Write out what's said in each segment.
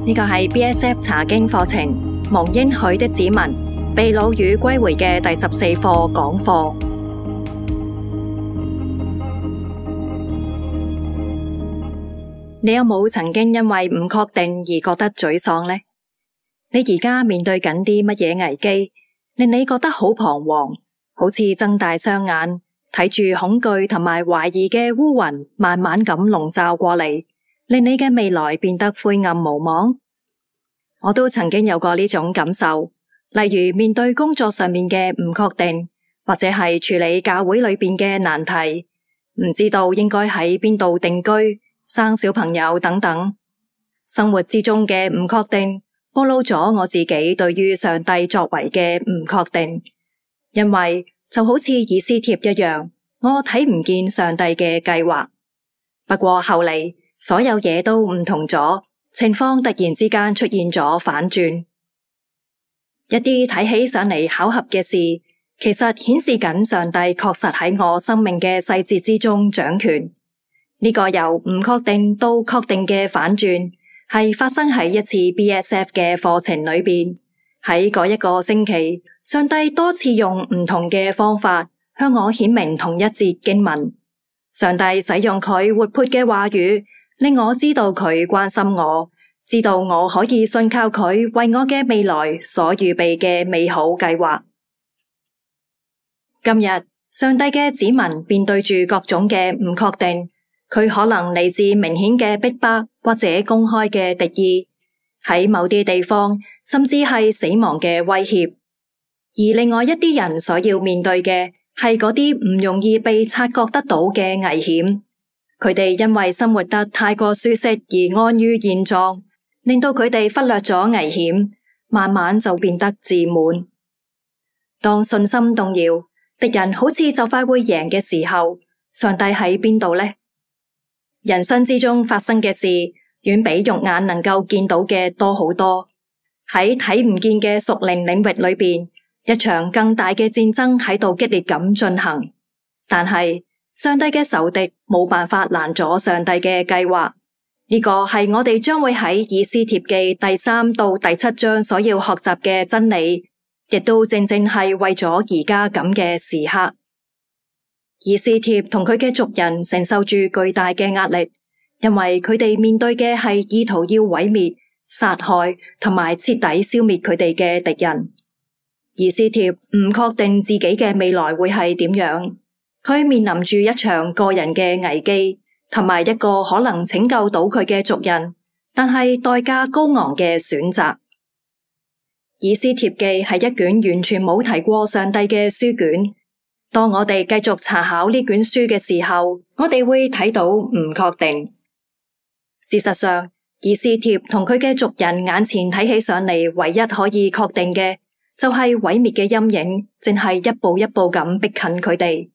呢個係 BSF 查經課程蒙應許的子民被擄與歸回嘅第14課講課。你有冇曾經因為唔確定而覺得沮喪呢？你而家面對緊啲乜嘢危機，令你覺得好彷徨，好似睜大雙眼睇住恐懼同埋懷疑嘅烏雲慢慢咁籠罩過嚟，令你嘅未來變得灰暗無望。我都曾經有過呢種感受，例如面對工作上面嘅唔確定，或者係處理教會裏邊嘅難題，唔知道應該喺邊度定居、生小朋友等等。生活之中嘅唔確定，暴露咗我自己對於上帝作為嘅唔確定。因為就好似以斯帖一樣，我睇唔見上帝嘅計劃。不過後嚟所有嘢都唔同咗，情況突然之間出現咗反轉。一啲睇起上嚟巧合嘅事，其實顯示緊上帝確實喺我生命嘅細節之中掌權。呢個由唔確定到確定嘅反轉，係發生喺一次 BSF 嘅課程裏邊。喺嗰一個星期，上帝多次用唔同嘅方法向我顯明同一節經文。上帝使用佢活潑嘅話語，令我知道佢關心我，知道我可以信靠佢為我嘅未來所預備嘅美好計劃。今日，上帝嘅子民面對住各種嘅唔確定，佢可能嚟自明顯嘅逼迫或者公開嘅敵意，喺某啲地方甚至係死亡嘅威脅。而另外一啲人所要面對嘅係嗰啲唔容易被察覺得到嘅危險。佢哋因為生活得太過舒適而安於現狀，令到佢哋忽略咗危險，慢慢就變得自滿。當信心動搖，敵人好似就快會贏嘅時候，上帝喺邊度呢？人生之中發生嘅事，遠比肉眼能夠見到嘅多好多。喺睇唔見嘅屬靈領域裏邊，一場更大嘅戰爭喺度激烈咁進行。但係上帝嘅仇敵冇辦法攔阻上帝嘅計劃。呢個係我哋將會喺以斯帖記第3到第7章所要學習嘅真理，亦都正正係為咗而家咁嘅時刻。以斯帖同佢嘅族人承受住巨大嘅壓力，因為佢哋面對嘅係意圖要毀滅、殺害同埋徹底消滅佢哋嘅敵人。以斯帖唔確定自己嘅未來會係點樣，佢面臨住一場個人嘅危機，同埋一個可能拯救到佢嘅族人，但係代價高昂嘅選擇。以斯帖記係一卷完全冇提過上帝嘅書卷。當我哋繼續查考呢卷書嘅時候，我哋會睇到唔確定。事實上，以斯帖同佢嘅族人眼前睇起上嚟，唯一可以確定嘅就係毀滅嘅陰影，正係一步一步咁逼近佢哋。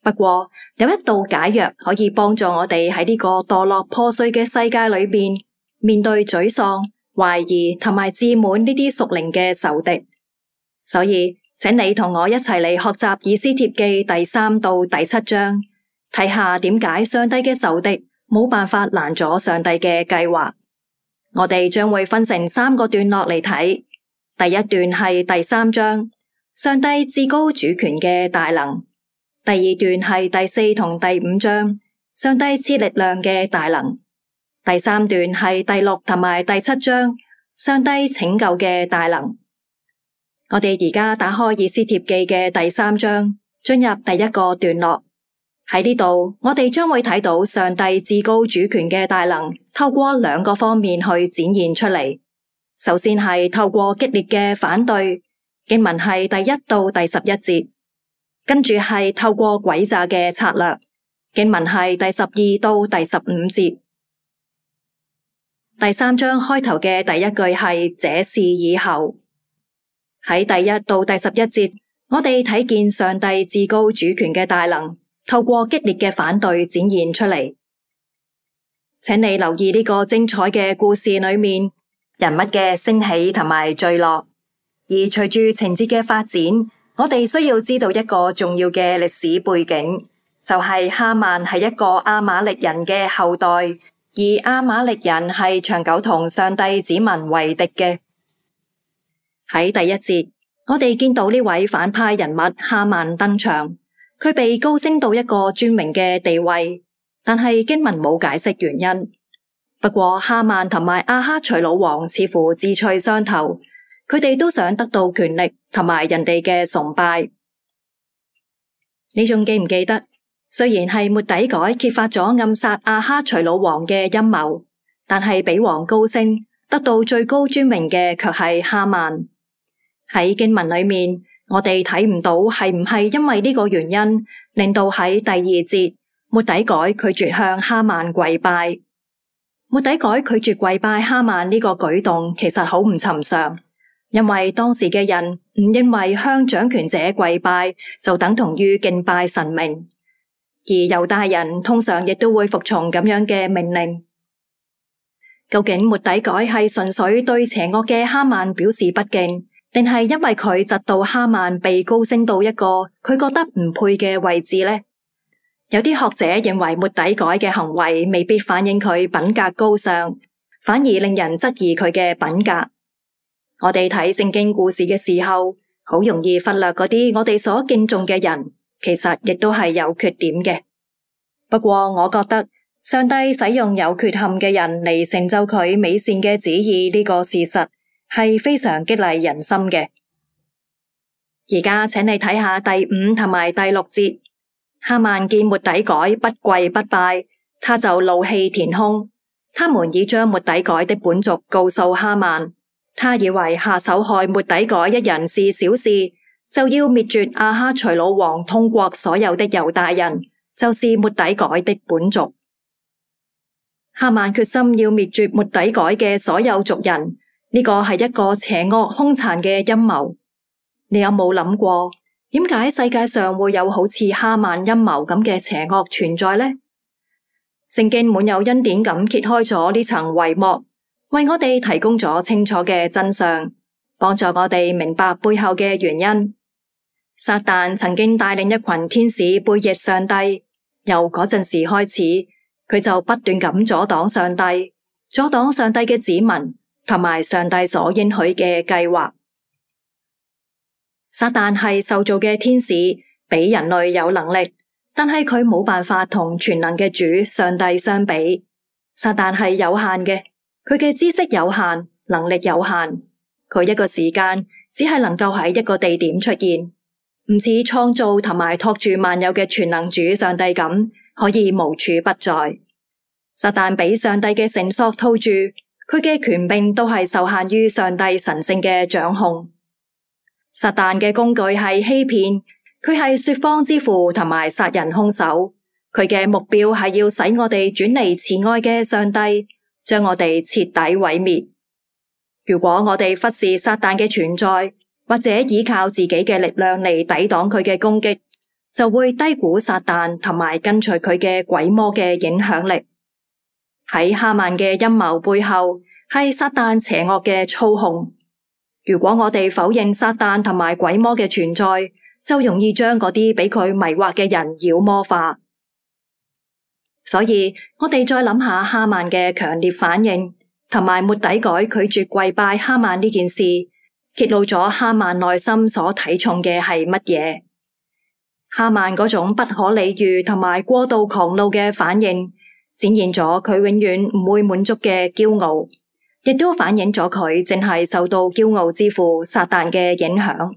不過有一道解藥可以幫助我哋喺呢個墮落破碎嘅世界裏邊，面對沮喪、懷疑同埋自滿呢啲屬靈嘅仇敵。所以請你同我一齊嚟學習以斯帖記第3到第7章，睇下點解上帝嘅仇敵冇辦法攔阻上帝嘅計劃。我哋將會分成3個段落嚟睇。第一段係第3章，上帝至高主權嘅大能。第二段係第4同第5章，上帝賜力量嘅大能。第3段係第6同埋第7章，上帝拯救嘅大能。我哋而家打開以斯帖記嘅第3章，進入第一個段落。喺呢度，我哋將會睇到上帝至高主權嘅大能，透過2個方面去展現出嚟。首先係透過激烈嘅反對，經文係第1到第11節。跟住係透過詭詐嘅策略，經文係第12到第15節。第3章開頭嘅第一句係這事以後。喺第1到第11節，我哋睇見上帝至高主權嘅大能，透過激烈嘅反對展現出嚟。請你留意呢個精彩嘅故事裏面，人物嘅升起同埋墜落。而隨住情節嘅發展，我哋需要知道一個重要嘅歷史背景，就係哈曼係一個亞瑪力人嘅後代，而亞瑪力人係長久同上帝子民為敵嘅。喺第一節，我哋見到呢位反派人物哈曼登場，佢被高升到一個尊榮嘅地位，但係經文冇解釋原因。不過哈曼同埋亞哈隨魯王似乎志趣相投，佢哋都想得到權力同埋人哋嘅崇拜。你仲記唔記得？雖然係末底改揭發咗暗殺亞哈隨魯王嘅陰謀，但係比王高升得到最高尊榮嘅卻係哈曼。喺經文裏面，我哋睇唔到係唔係因為呢個原因，令到喺第二節末底改拒絕向哈曼跪拜。末底改拒絕跪拜哈曼呢個舉動其實好唔尋常，因為當時嘅人唔認為向掌權者跪拜就等同於敬拜神明，而猶大人通常亦都會服從咁樣嘅命令。究竟末底改係純粹對邪惡嘅哈曼表示不敬，定係因為佢窒到哈曼被高升到一個佢覺得唔配嘅位置呢？有啲學者認為末底改嘅行為未必反映佢品格高尚，反而令人質疑佢嘅品格。我哋睇聖經故事嘅時候，好容易忽略嗰啲我哋所敬重嘅人，其實亦都係有缺點嘅。不過我覺得上帝使用有缺陷嘅人嚟成就佢美善嘅旨意呢個事實係非常激勵人心嘅。而家請你睇下第5同埋第6節。哈曼見末底改不跪不拜，他就怒氣填胸。他們已將末底改的本族告訴哈曼，他以為下手害末底改一人是小事，就要滅絕亞哈隨魯王通國所有的猶大人，就是末底改的本族。哈曼決心要滅絕末底改嘅所有族人，呢個係一個邪惡兇殘嘅陰謀。你有冇諗過？點解世界上會有好似哈曼陰謀咁嘅邪惡存在呢？聖經滿有恩典咁揭開咗呢層帷幕，為我哋提供咗清楚嘅真相，幫助我哋明白背後嘅原因。撒旦曾經帶領一群天使背逆上帝，由嗰陣時開始，佢就不斷咁阻擋上帝，阻擋上帝嘅子民，同埋上帝所應許嘅計劃。撒旦係受造嘅天使，比人類有能力，但係佢冇辦法同全能嘅主上帝相比。撒旦係有限嘅，佢嘅知識有限，能力有限，佢一個時間只係能夠喺一個地點出現，唔似創造同埋托住萬有嘅全能主上帝咁，可以無處不在。撒旦俾上帝嘅繩索套住，佢嘅權柄都係受限於上帝神聖嘅掌控。撒旦嘅工具係欺騙，佢係說謊之父同埋殺人兇手。佢嘅目標係要使我哋轉離慈愛嘅上帝，將我哋徹底毀滅。如果我哋忽視撒旦嘅存在，或者依靠自己嘅力量嚟抵擋佢嘅攻擊，就會低估撒旦同埋跟隨佢嘅鬼魔嘅影響力。喺哈曼嘅陰謀背後，係撒旦邪惡嘅操控。如果我哋否認撒旦同埋鬼魔嘅存在，就容易將嗰啲俾佢迷惑嘅人妖魔化。所以我哋再諗下哈曼嘅強烈反應，同埋末底改拒絕跪拜哈曼呢件事，揭露咗哈曼內心所睇重嘅係乜嘢。哈曼嗰種不可理喻同埋過度狂怒嘅反應，展現咗佢永遠唔會滿足嘅驕傲，亦都反映咗佢正係受到驕傲之父撒旦嘅影響。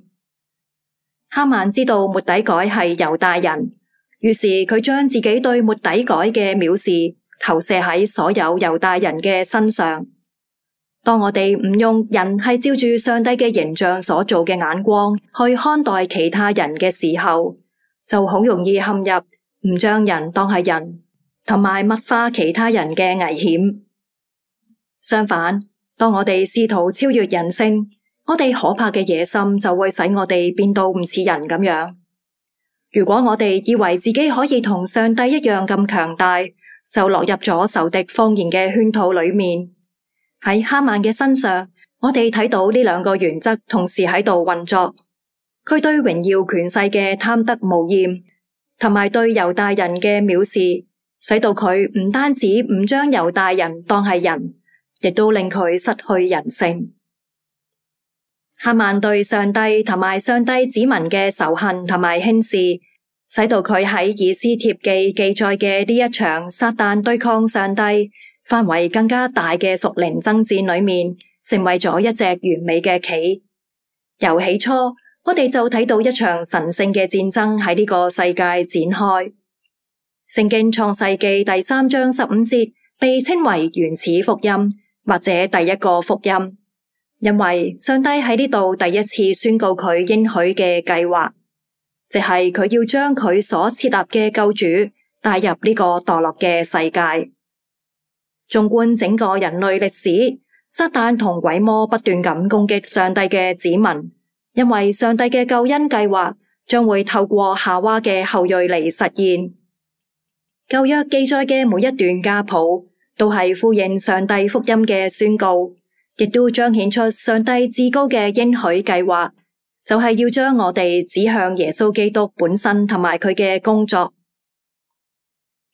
哈曼知道末底改係猶大人，於是佢將自己對末底改嘅藐視投射喺所有猶大人嘅身上。當我哋唔用人係照住上帝嘅形象所做嘅眼光去看待其他人嘅時候，就好容易陷入唔將人當係人，同埋物化其他人嘅危險。相反，當我哋試圖超越人性，我哋可怕嘅野心就會使我哋變到唔似人咁樣。如果我哋以為自己可以同上帝一樣咁強大，就落入咗仇敵謊言嘅圈套裏面。喺哈曼嘅身上，我哋睇到呢兩個原則同時喺度運作。佢對榮耀權勢嘅貪得無厭，同埋對猶大人嘅藐視，使到佢唔單止唔將猶大人當係人，亦都令佢失去人性。哈曼對上帝同埋上帝子民嘅仇恨同埋輕視，使到佢喺以斯帖記記載嘅呢一場撒旦對抗上帝範圍更加大嘅屬靈爭戰裏面，成為咗一隻完美嘅棋。由起初，我哋就睇到一場神聖嘅戰爭喺呢個世界展開。聖經創世記第3章15節被稱為原始福音，或者第一個福音，因為上帝喺呢度第一次宣告佢應許嘅計劃，即係佢要將佢所設立嘅救主帶入呢個墮落嘅世界。縱觀整個人類歷史，撒旦同鬼魔不斷咁攻擊上帝嘅子民，因為上帝嘅救恩計劃將會透過夏娃嘅後裔嚟實現。舊約記載嘅每一段家譜都係呼應上帝福音嘅宣告，亦都彰顯出上帝至高嘅應許計劃，就係要將我哋指向耶穌基督本身同埋佢嘅工作。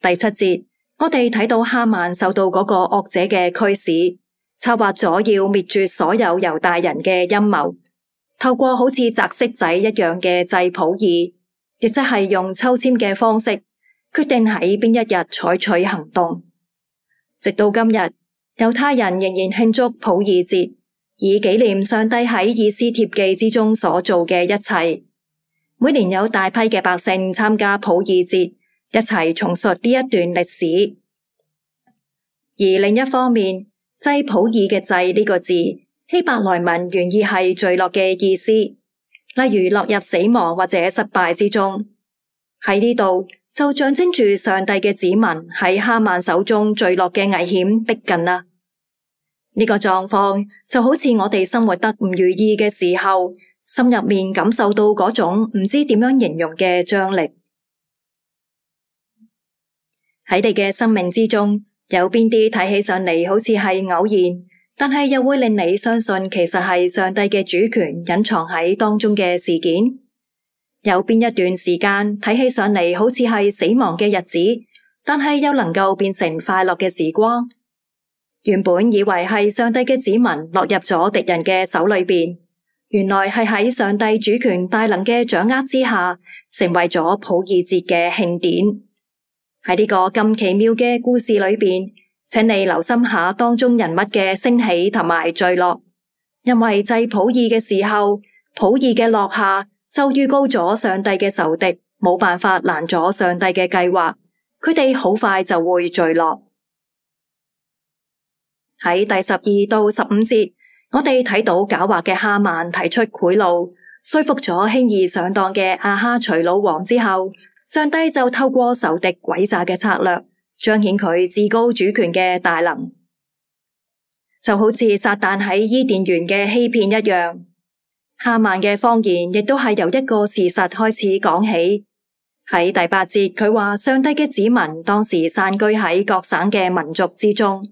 第7節，我哋睇到哈曼受到嗰個惡者嘅驅使，策劃咗要滅絕所有猶大人嘅陰謀，透過好似擲骰仔一樣嘅祭普珥，亦即係用抽籤嘅方式決定喺邊一日採取行動。直到今日，猶太人仍然慶祝普珥節，以紀念上帝喺以斯帖記之中所做嘅一切。每年有大批嘅百姓參加普珥節，一齊重述呢一段歷史。而另一方面，祭普珥嘅祭呢個字，希伯來文原意係墜落嘅意思，例如落入死亡或者失敗之中。喺呢度就象徵住上帝嘅子民喺哈曼手中墜落嘅危險逼近啦。呢個狀況就好似我哋生活得唔如意嘅時候，心入面感受到嗰種唔知點樣形容嘅張力。喺你嘅生命之中，有邊啲睇起上嚟好似係偶然，但係又會令你相信其實係上帝嘅主權隱藏喺當中嘅事件？有邊一段時間睇起上嚟好似係死亡嘅日子，但係又能夠變成快樂嘅時光？原本以為係上帝嘅子民落入咗敵人嘅手裏邊，原來係喺上帝主權大能嘅掌握之下，成為咗普珥節嘅慶典。喺呢個咁奇妙嘅故事裏邊，請你留心下當中人物嘅升起同埋墜落，因為祭普珥嘅時候，普珥嘅落下就預告咗上帝嘅仇敵冇辦法攔阻上帝嘅計劃，佢哋好快就會墜落。喺第12到15節，我哋睇到狡猾嘅哈曼提出賄賂，說服咗輕易上當嘅亞哈隨魯王之後，上帝就透過仇敵詭詐嘅策略，彰顯佢至高主權嘅大能，就好似撒旦喺伊甸園嘅欺騙一樣。哈曼嘅謊言亦都係由一個事實開始講起。喺第8節，佢話上帝嘅子民當時散居喺各省嘅民族之中。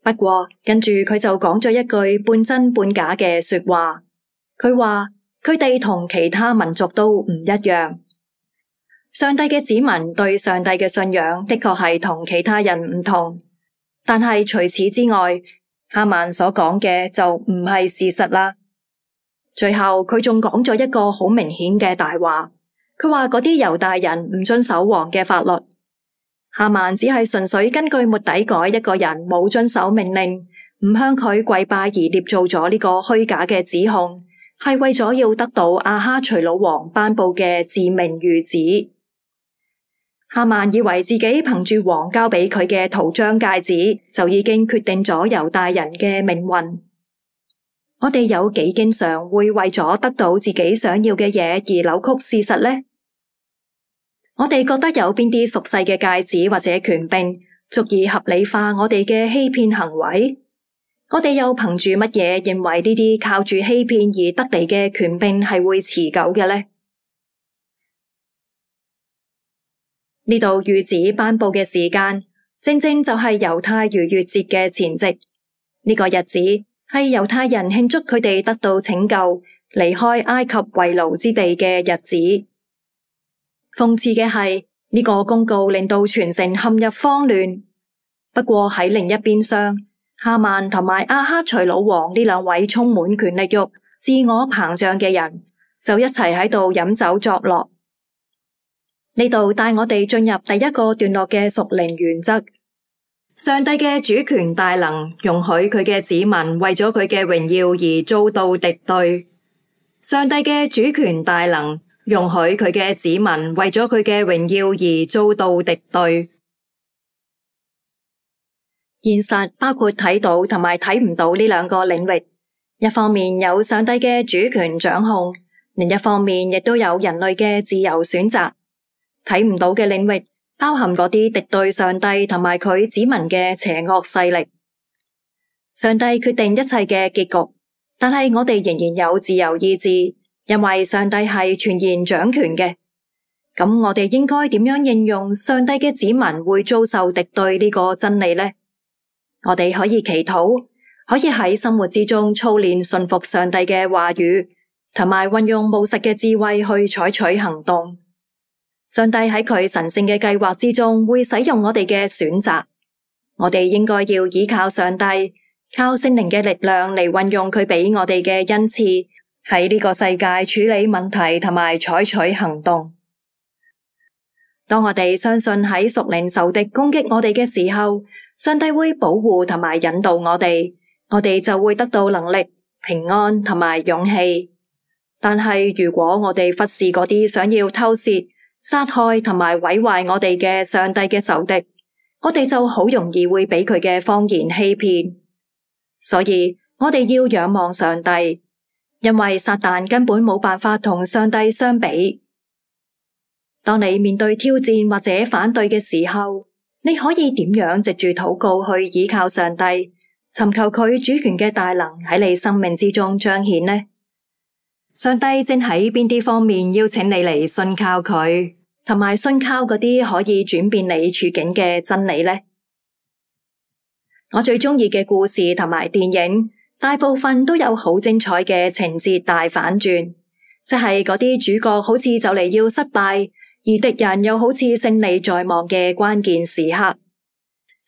不過跟住佢就講咗一句半真半假嘅說話，佢話佢哋同其他民族都唔一樣。上帝嘅子民對上帝嘅信仰的確係同其他人唔同，但係除此之外，哈曼所講嘅就唔係事實啦。最後佢仲講咗一個好明顯嘅大話，佢話嗰啲猶大人唔遵守王嘅法律。哈曼只係純粹根據末底改一個人冇遵守命令，唔向佢跪拜而捏造咗呢個虛假嘅指控，係為咗要得到亞哈隨魯王頒布嘅致命諭旨。哈曼以為自己憑住王交俾佢嘅圖章戒指，就已經決定咗猶大人嘅命運。我哋有幾經常會為咗得到自己想要嘅嘢而扭曲事實呢？我哋覺得有邊啲俗世嘅戒指或者權柄足以合理化我哋嘅欺騙行為？我哋又憑住乜嘢認為呢啲靠住欺騙而得嚟嘅權柄係會持久嘅呢？呢度諭旨頒布嘅時間，正正就係猶太逾越節嘅前夕。呢個日子係猶太人慶祝佢哋得到拯救、離開埃及為奴之地嘅日子。諷刺嘅係，呢個公告令到全城陷入慌亂。不過喺另一邊廂，哈曼同埋亞哈隨魯王呢兩位充滿權力欲、自我膨脹嘅人，就一齊喺度飲酒作樂。呢度帶我哋進入第一個段落嘅屬靈原則。上帝嘅主權大能容許佢嘅子民為咗佢嘅榮耀而遭到敵對。上帝嘅主權大能容許佢嘅子民為咗佢嘅榮耀而遭到敵對。現實包括睇到同埋睇唔到呢兩個領域，一方面有上帝嘅主權掌控，另一方面亦都有人類嘅自由選擇。睇唔到嘅領域包含嗰啲敵對上帝同埋佢子民嘅邪惡勢力。上帝決定一切嘅結局，但係我哋仍然有自由意志，因為上帝係全然掌權嘅。咁我哋應該點樣應用上帝嘅子民會遭受敵對呢個真理呢？我哋可以祈禱，可以喺生活之中操練順服上帝嘅話語，同埋運用務實嘅智慧去採取行動。上帝喺佢神聖嘅計劃之中會使用我哋嘅選擇，我哋應該要依靠上帝，靠聖靈嘅力量嚟運用佢俾我哋嘅恩賜，喺呢個世界處理問題同埋採取行動。當我哋相信喺屬靈仇敵攻擊我哋嘅時候，上帝會保護同埋引導我哋就會得到能力、平安同埋勇氣。但係如果我哋忽視嗰啲想要偷竊、殺害同埋毀壞我哋嘅上帝嘅仇敵，我哋就好容易會俾佢嘅謊言欺騙。所以我哋要仰望上帝，因為撒旦根本冇辦法同上帝相比。當你面對挑戰或者反對嘅時候，你可以點樣藉住禱告去依靠上帝，尋求佢主權嘅大能喺你生命之中彰顯呢？上帝正喺邊啲方面邀請你嚟信靠佢，同埋信靠嗰啲可以轉變你處境嘅真理呢？我最中意嘅故事同埋電影，大部分都有好精彩嘅情節大反轉，即係嗰啲主角好似就嚟要失敗，而敵人又好似勝利在望嘅關鍵時刻。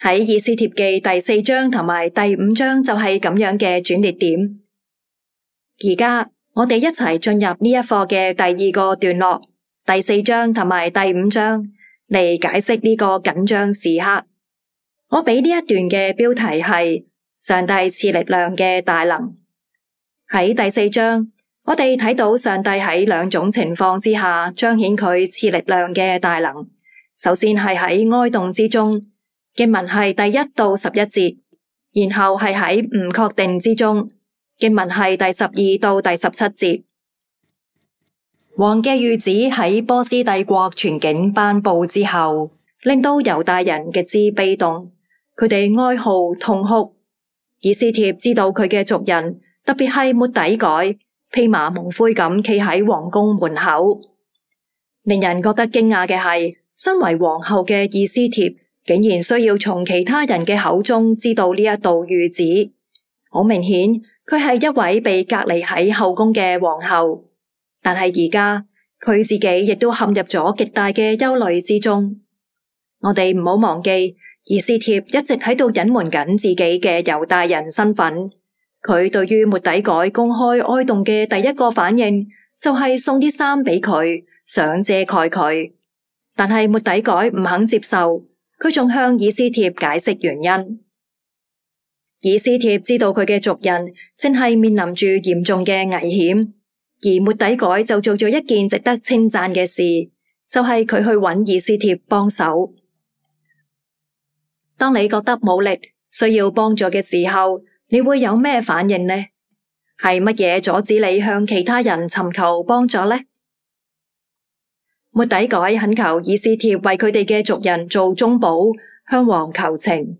喺以斯帖記第4章同埋第5章就係咁樣嘅轉捩點。而家我哋一齊進入呢一課嘅第二個段落，第4章同埋第5章嚟解釋呢個緊張時刻。我俾呢一段嘅標題係上帝賜力量嘅大能。喺第4章，我哋睇到上帝喺兩種情況之下彰顯佢賜力量嘅大能。首先係喺哀慟之中，經文係第1到11節，然後係喺唔確定之中，經文係第12到第17節。王嘅諭旨喺波斯帝國全境頒布之後，令到猶大人極之悲動，佢哋哀號痛哭。以斯帖知道佢嘅族人，特別係末底改，披麻蒙灰咁企喺皇宮門口。令人覺得驚訝嘅係，身為皇后嘅以斯帖竟然需要從其他人嘅口中知道呢一道諭旨。好明顯，佢係一位被隔離喺後宮嘅皇后，但係而家佢自己亦都陷入咗極大嘅憂慮之中。我哋唔好忘記，以斯帖一直喺度隱瞞緊自己嘅猶大人身份。佢對於末底改公開哀慟嘅第一個反應就係送啲衫俾佢，想遮蓋佢。但係末底改唔肯接受，佢仲向以斯帖解釋原因。以斯帖知道佢嘅族人正係面臨住嚴重嘅危險，而末底改就做咗一件值得稱讚嘅事，就係佢去揾以斯帖幫手。當你覺得冇力，需要幫助嘅時候，你會有咩反應呢？係乜嘢阻止你向其他人尋求幫助呢？末底改懇求以斯帖為佢哋嘅族人做中保，向王求情。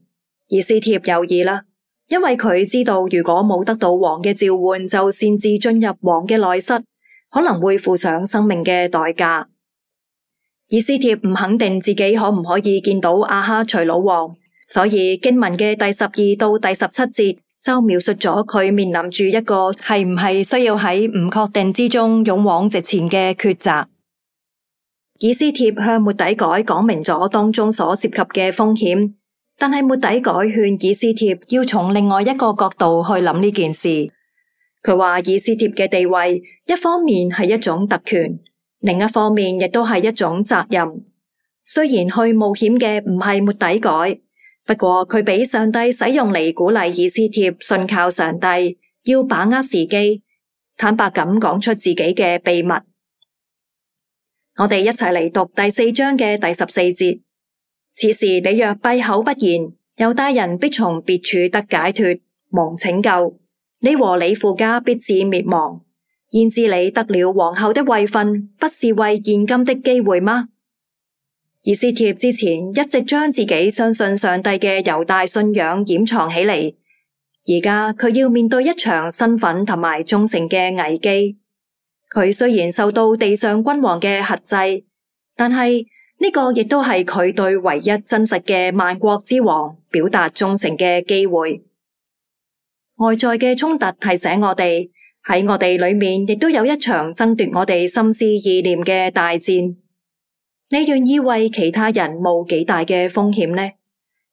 以斯帖猶豫啦，因為佢知道如果冇得到王嘅召喚，就擅自進入王嘅內室，可能會付上生命嘅代價。以斯帖唔肯定自己可唔可以見到亞哈隨魯王，所以經文嘅第12到第17節就描述咗佢面臨住一個係唔係需要喺唔確定之中勇往直前嘅抉擇。以斯帖向末底改講明咗當中所涉及嘅風險，但係末底改勸以斯帖要從另外一個角度去諗呢件事。佢話以斯帖嘅地位一方面係一種特權，另一方面亦都係一種責任。雖然去冒險嘅唔係末底改，不過佢俾上帝使用嚟鼓勵以斯帖信靠上帝，要把握時機，坦白咁講出自己嘅秘密。我哋一齊嚟讀第4章嘅第14節。此時你若閉口不言，猶大人必從別處得解脫，蒙拯救。你和你父家必致滅亡。焉知你得了皇后的位分，不是為現今的機會嗎？以斯帖之前一直將自己相信上帝嘅猶大信仰掩藏起嚟，而家佢要面對一場身份同埋忠誠嘅危機。佢雖然受到地上君王嘅轄制，但係呢個亦都係佢對唯一真實嘅萬國之王表達忠誠嘅機會。外在嘅衝突提醒我哋，喺我哋裏面亦都有一場爭奪我哋心思意念嘅大戰。你願意為其他人冒幾大嘅風險呢？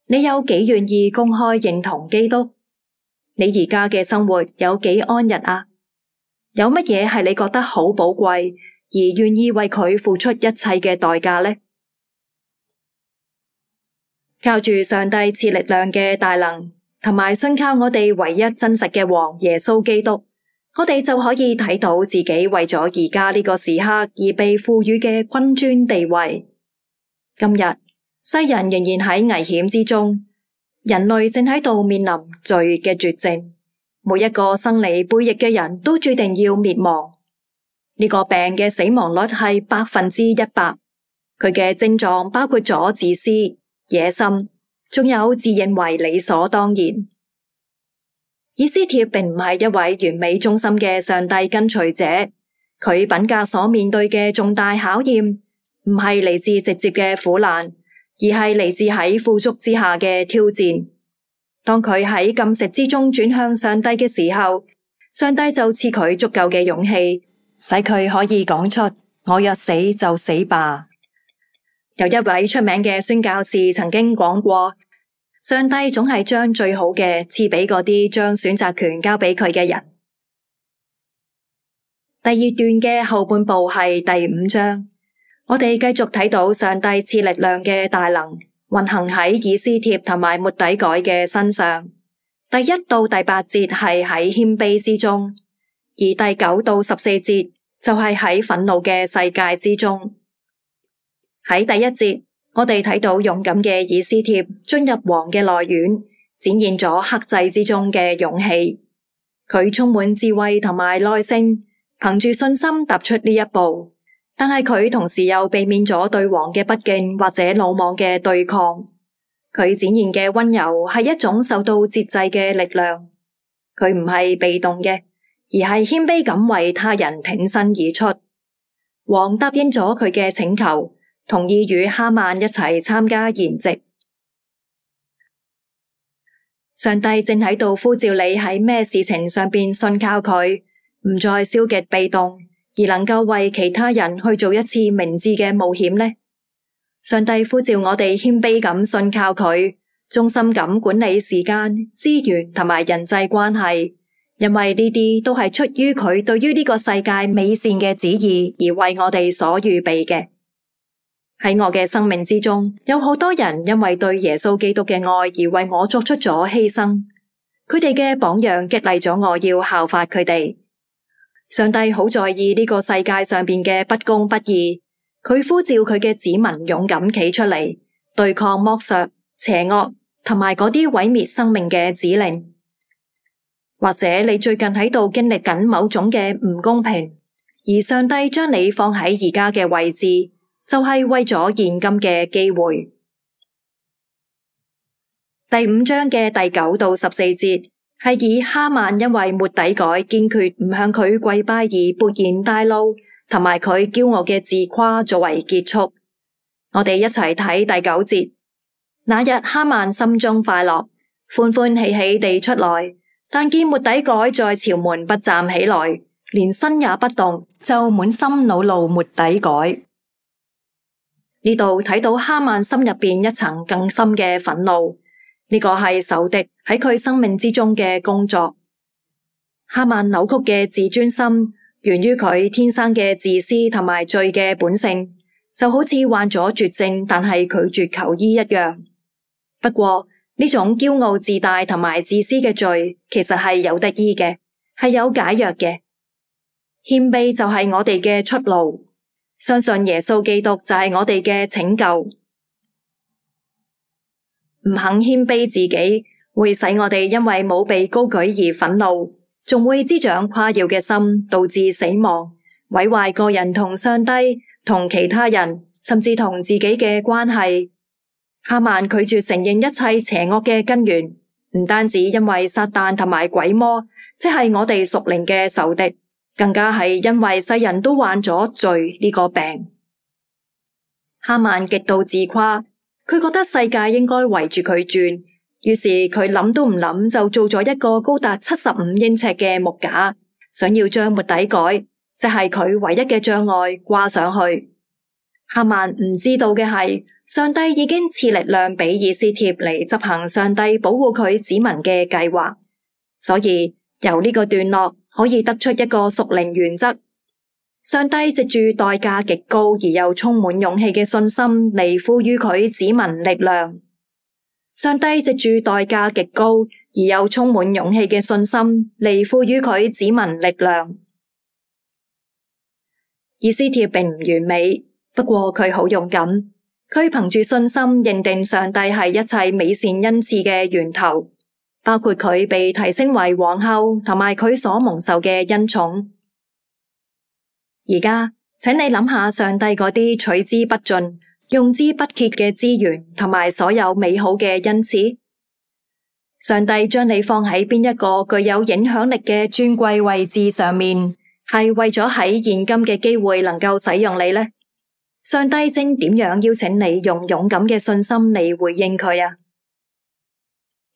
你有幾願意公開認同基督？你而家嘅生活有幾安逸啊？有乜嘢係你覺得好寶貴而願意為佢付出一切嘅代價呢？靠住上帝賜力量嘅大能，同埋信靠我哋唯一真實嘅王耶穌基督，我哋就可以睇到自己為咗而家呢個時刻而被賦予嘅君尊地位。今日世人仍然喺危險之中，人類正喺度面臨罪嘅絕症。每一個生離背逆嘅人都注定要滅亡。呢個病嘅死亡率係100%，佢嘅症狀包括咗自私、野心，仲有自認為理所當然。以斯帖並唔係一位完美忠心嘅上帝跟隨者，佢品格所面對嘅重大考驗，唔係嚟自直接嘅苦難，而係嚟自喺富足之下嘅挑戰。當佢喺禁食之中轉向上帝嘅時候，上帝就賜佢足夠嘅勇氣，使佢可以講出我若死就死吧。有一位出名嘅宣教士曾經講過，上帝總係將最好嘅賜俾嗰啲將選擇權交俾佢嘅人。第2段嘅後半部係第5章，我哋繼續睇到上帝賜力量嘅大能運行喺以斯帖同埋末底改嘅身上。第1到第8節係喺謙卑之中，而第9到14節就係喺憤怒嘅世界之中。喺第1節，我哋睇到勇敢嘅以斯帖進入王嘅內院，展現咗克制之中嘅勇氣。佢充滿智慧同埋耐性，憑住信心踏出呢一步。但係佢同時又避免咗對王嘅不敬或者魯莽嘅對抗。佢展現嘅溫柔係一種受到節制嘅力量。佢唔係被動嘅，而係謙卑咁為他人挺身而出。王答應咗佢嘅請求，同意與哈曼一齊參加筵席。上帝正喺度呼召你喺咩事情上邊信靠佢，唔再消極被動，而能夠為其他人去做一次明智嘅冒險呢？上帝呼召我哋謙卑咁信靠佢，忠心咁管理時間、資源同埋人際關係，因為呢啲都係出於佢對於呢個世界美善嘅旨意而為我哋所預備嘅。喺我嘅生命之中，有好多人因為對耶穌基督嘅愛而為我作出咗犧牲，佢哋嘅榜樣激勵咗我要效法佢哋。上帝好在意呢個世界上邊嘅不公不義，佢呼召佢嘅子民勇敢企出嚟，對抗剝削、邪惡同埋嗰啲毀滅生命嘅指令。或者你最近喺度經歷緊某種嘅唔公平，而上帝將你放喺而家嘅位置，就係為咗現今嘅機會。第5章嘅第9到14節係以哈曼因為末底改堅決唔向佢跪拜而勃然大怒，同埋佢驕傲嘅自誇作為結束。我哋一齊睇第9節。那日哈曼心中快樂，歡歡喜喜地出來，但見末底改在朝門不站起來，連身也不動，就滿心惱怒末底改。呢度睇到哈曼心入邊一層更深嘅憤怒，呢個係仇敵喺佢生命之中嘅工作。哈曼扭曲嘅自尊心源於佢天生嘅自私同埋罪嘅本性，就好似患咗絕症但係拒絕求醫一樣。不過呢種驕傲自大同埋自私嘅罪其實係有得醫嘅，係有解藥嘅。謙卑就係我哋嘅出路，相信耶穌基督就係我哋嘅拯救。唔肯謙卑自己，會使我哋因為冇被高舉而憤怒，仲會滋長誇耀嘅心，導致死亡，毀壞個人同上帝、同其他人，甚至同自己嘅關係。哈曼拒絕承認一切邪惡嘅根源，唔單止因為撒旦同埋鬼魔，即係我哋屬靈嘅仇敵，更加係因為世人都患咗罪呢個病。哈曼極度自誇，佢覺得世界應該圍住佢轉，於是佢諗都唔諗就做咗一個高達75英尺嘅木架，想要將末底改，即係佢唯一嘅障礙掛上去。哈曼唔知道嘅係，上帝已經賜力量俾以斯帖嚟執行上帝保護佢子民嘅計劃，所以由呢個段落可以得出一個屬靈原則：上帝藉住代價極高而又充滿勇氣嘅信心嚟賦予佢子民力量。上帝藉住代價極高而又充滿勇氣嘅信心嚟賦予佢子民力量。以斯帖並唔完美，不過佢好勇敢，佢憑住信心認定上帝係一切美善恩賜嘅源頭，包括佢被提升為皇后同埋佢所蒙受嘅恩寵。而家請你諗下上帝嗰啲取之不盡、用之不竭嘅資源同埋所有美好嘅恩賜，上帝將你放喺邊一個具有影響力嘅尊貴位置上面，係為咗喺現今嘅機會能夠使用你呢？上帝正點樣邀請你用勇敢嘅信心嚟回應佢啊？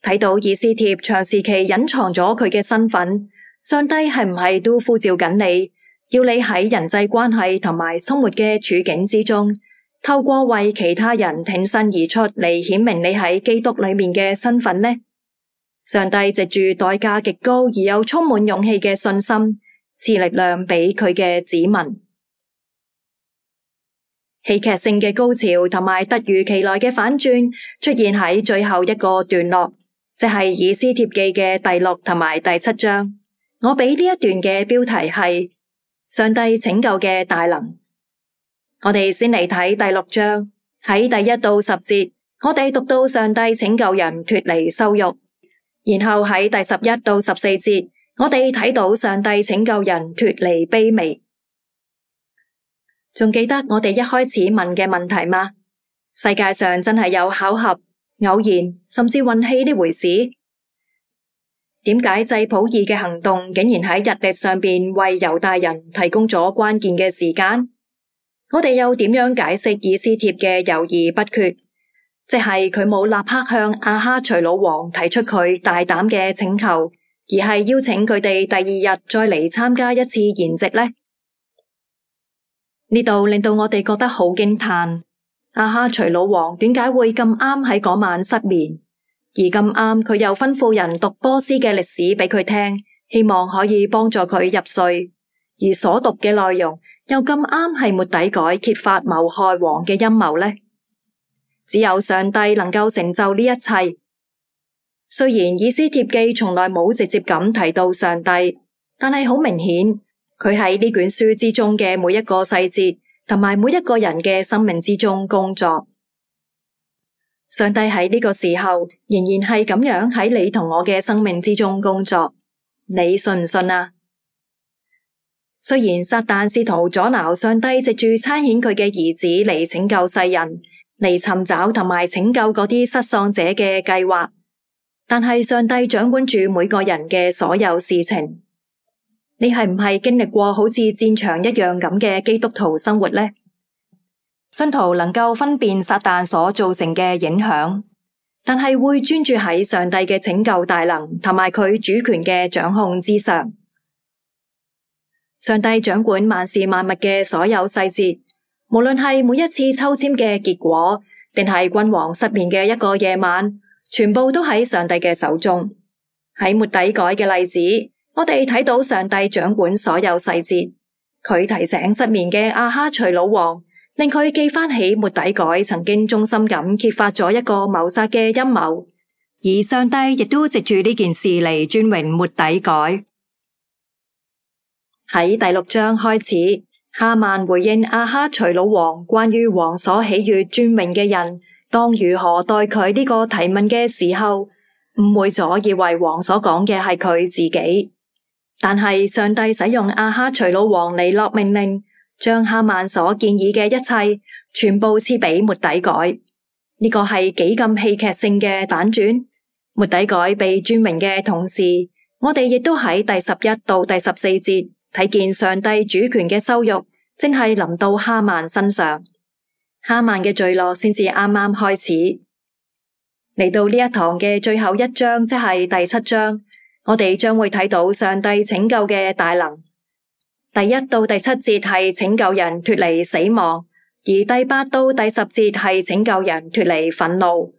睇到以斯帖長時期隱藏咗佢嘅身份，上帝係唔係都呼召緊你，要你喺人際關係同埋生活嘅處境之中，透過為其他人挺身而出嚟顯明你喺基督裏面嘅身份呢？上帝藉住代價極高而又充滿勇氣嘅信心，賜力量俾佢嘅子民。戲劇性嘅高潮同埋突如其來嘅反轉出現喺最後一個段落，即係以斯帖記嘅第6同埋第7章。我俾呢一段嘅標題係上帝拯救嘅大能。我哋先嚟睇第6章，喺第1到10節，我哋讀到上帝拯救人脫離羞辱，然後喺第11到14節，我哋睇到上帝拯救人脫離卑微。仲記得我哋一開始問嘅問題嗎？世界上真係有巧合、偶然，甚至運氣呢回事？點解祭普珥嘅行動竟然喺日曆上邊為猶大人提供咗關鍵嘅時間？我哋又點樣解釋以斯帖嘅猶豫不決？即係佢冇立刻向亞哈隨魯王提出佢大膽嘅請求，而係邀請佢哋第2日再嚟參加一次筵席呢？呢度令到我哋覺得好驚嘆，亞哈隨魯王點解會咁啱喺嗰晚失眠，而咁啱佢又吩咐人讀波斯嘅歷史俾佢聽，希望可以幫助佢入睡，而所讀嘅內容又咁啱係末底改揭發謀害王嘅陰謀呢？只有上帝能夠成就呢一切。雖然以斯帖記從來冇直接咁提到上帝，但係好明顯，佢喺呢卷書之中嘅每一個細節，同埋每一個人嘅生命之中工作。上帝喺呢個時候仍然係咁樣喺你同我嘅生命之中工作，你信唔信啊？雖然撒旦試圖阻撓上帝藉住差遣佢嘅兒子嚟拯救世人，嚟尋找同埋拯救嗰啲失喪者嘅計劃，但係上帝掌管住每個人嘅所有事情。你係唔係經歷過好似戰場一樣咁嘅基督徒生活呢？信徒能夠分辨撒旦所造成嘅影響，但係會專注喺上帝嘅拯救大能同埋佢主權嘅掌控之上。上帝掌管萬事萬物嘅所有細節，無論係每一次抽籤嘅結果，定係君王失眠嘅一個夜晚，全部都喺上帝嘅手中。喺末底改嘅例子，我哋睇到上帝掌管所有細節。佢提醒失眠嘅亞哈隨魯王，令佢記翻起末底改曾經忠心咁揭發咗一個謀殺嘅陰謀，而上帝亦都藉住呢件事嚟尊榮末底改。喺第6章開始，哈曼回應亞哈隨魯王關於王所喜悅尊榮嘅人當如何待佢呢個提問嘅時候，誤會咗以為王所講嘅係佢自己。但係上帝使用亞哈隨魯王嚟落命令，將哈曼所建議嘅一切全部賜俾末底改。呢個係幾咁戲劇性嘅反轉。末底改被尊榮嘅同時，我哋亦都喺第11到第14節睇見上帝主權嘅羞辱正係臨到哈曼身上。哈曼嘅墜落先至啱啱開始。嚟到呢一堂嘅最後一章，即係第7章，我哋將會睇到上帝拯救嘅大能。第1到第7節係拯救人脫離死亡，而第8到第10節係拯救人脫離憤怒。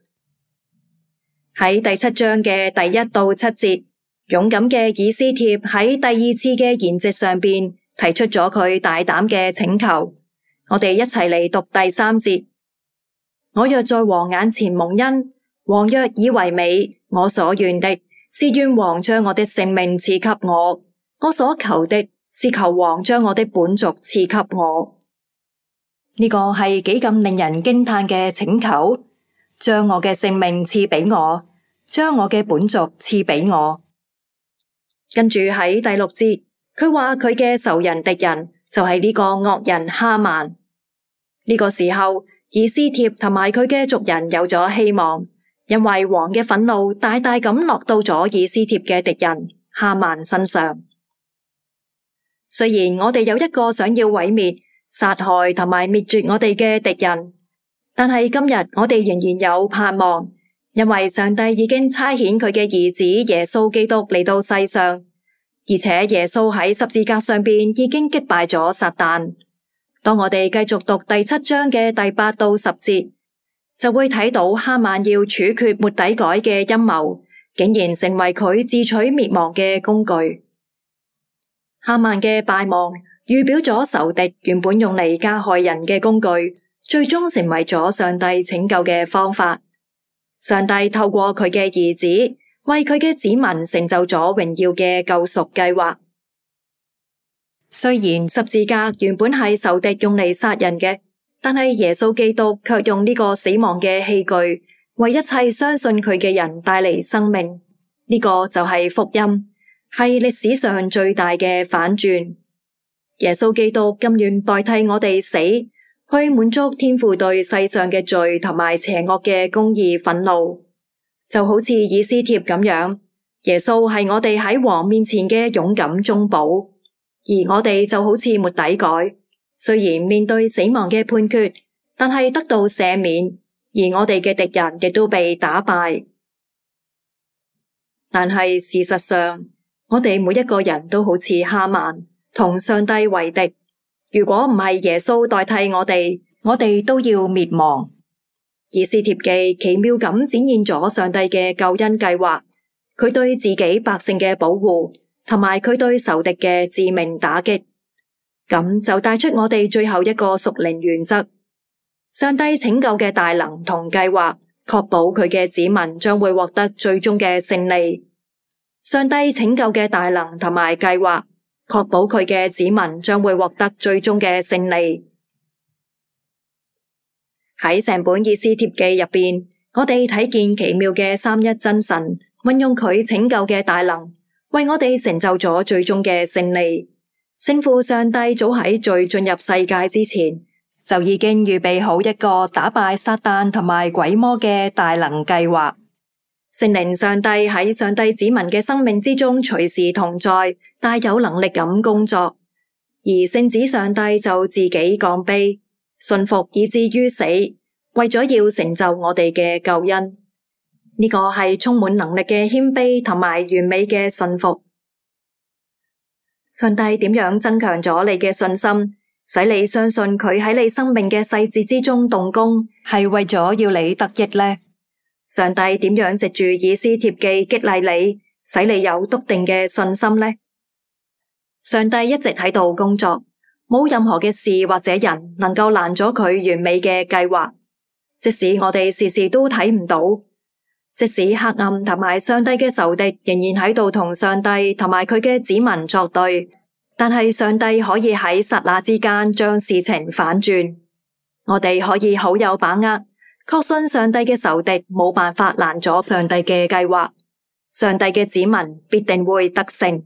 喺第7章嘅第1到7節，勇敢嘅以斯帖喺第2次嘅筵席上邊提出咗佢大膽嘅請求。我哋一齊嚟讀第3節。我若在王眼前蒙恩，王若以為美，我所願的是願王將我的性命賜給我，我所求的是求王將我的本族賜給我。呢個係幾咁令人驚嘆嘅請求，將我嘅性命賜俾我，將我嘅本族賜俾我。跟住喺第6節，佢話佢嘅仇人敵人就係呢個惡人哈曼。呢個時候，以斯帖同埋佢嘅族人有咗希望，因為王嘅憤怒大大咁落到咗以斯帖嘅敵人哈曼身上。雖然我哋有一個想要毀滅、殺害同埋滅絕我哋嘅敵人，但係今日我哋仍然有盼望，因為上帝已經差遣佢嘅兒子耶穌基督嚟到世上，而且耶穌喺十字架上邊已經擊敗咗撒旦。當我哋繼續讀第7章嘅第8到10節，就會睇到哈曼要處決末底改嘅陰謀，竟然成為佢自取滅亡嘅工具。哈曼嘅敗亡預表咗仇敵原本用嚟加害人嘅工具，最終成為咗上帝拯救嘅方法。上帝透過佢嘅兒子，為佢嘅子民成就咗榮耀嘅救贖計劃。雖然十字架原本係仇敵用嚟殺人嘅，但係耶穌基督卻用呢個死亡嘅器具，為一切相信佢嘅人帶嚟生命。呢個就係福音，係歷史上最大嘅反轉。耶穌基督甘願代替我哋死，去滿足天父對世上嘅罪同埋邪惡嘅公義憤怒。就好似以斯帖咁樣，耶穌係我哋喺王面前嘅勇敢中保，而我哋就好似末底改，雖然面對死亡嘅判決，但係得到赦免，而我哋嘅敵人亦都被打敗。但係事實上，我哋每一個人都好似哈曼，同上帝為敵。如果唔係耶穌代替我哋都要滅亡。以斯帖記奇妙咁展現咗上帝嘅救恩計劃，佢對自己百姓嘅保護，同埋佢對仇敵嘅致命打擊。咁就帶出我哋最後一個屬靈原則：上帝拯救嘅大能同計劃，確保佢嘅子民將會獲得最終嘅勝利。上帝拯救嘅大能同埋計劃，確保佢嘅子民將會獲得最終嘅勝利。喺成本以斯帖記入邊，我哋睇見奇妙嘅三一真神運用佢拯救嘅大能，為我哋成就咗最終嘅勝利。聖父上帝早喺罪進入世界之前，就已經預備好一個打敗撒旦同埋鬼魔嘅大能計劃。聖靈上帝喺上帝子民嘅生命之中隨時同在，大有能力咁工作，而聖子上帝就自己降卑，順服以至於死，為咗要成就我哋嘅救恩。呢個係充滿能力嘅謙卑同埋完美嘅順服。上帝點樣增強咗你嘅信心，使你相信佢喺你生命嘅細節之中動工，係為咗要你得益呢？上帝點樣藉住以斯帖記激勵你，使你有篤定嘅信心呢？上帝一直喺度工作，冇任何嘅事或者人能夠攔咗佢完美嘅計劃。即使我哋時時都睇唔到，即使黑暗同埋上帝嘅仇敵仍然喺度同上帝同埋佢嘅子民作對，但係上帝可以喺剎那之間將事情反轉。我哋可以好有把握，確信上帝嘅仇敵冇辦法攔阻上帝嘅計劃，上帝嘅子民必定會得勝。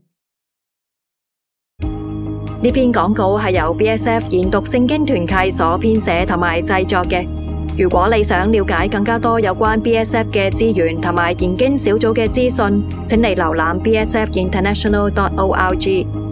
呢篇廣告係由 BSF 研讀聖經團契所編寫同埋製作嘅。如果你想了解更加多有關 BSF 嘅資源同埋研經小組嘅資訊，請你瀏覽bsfinternational.org。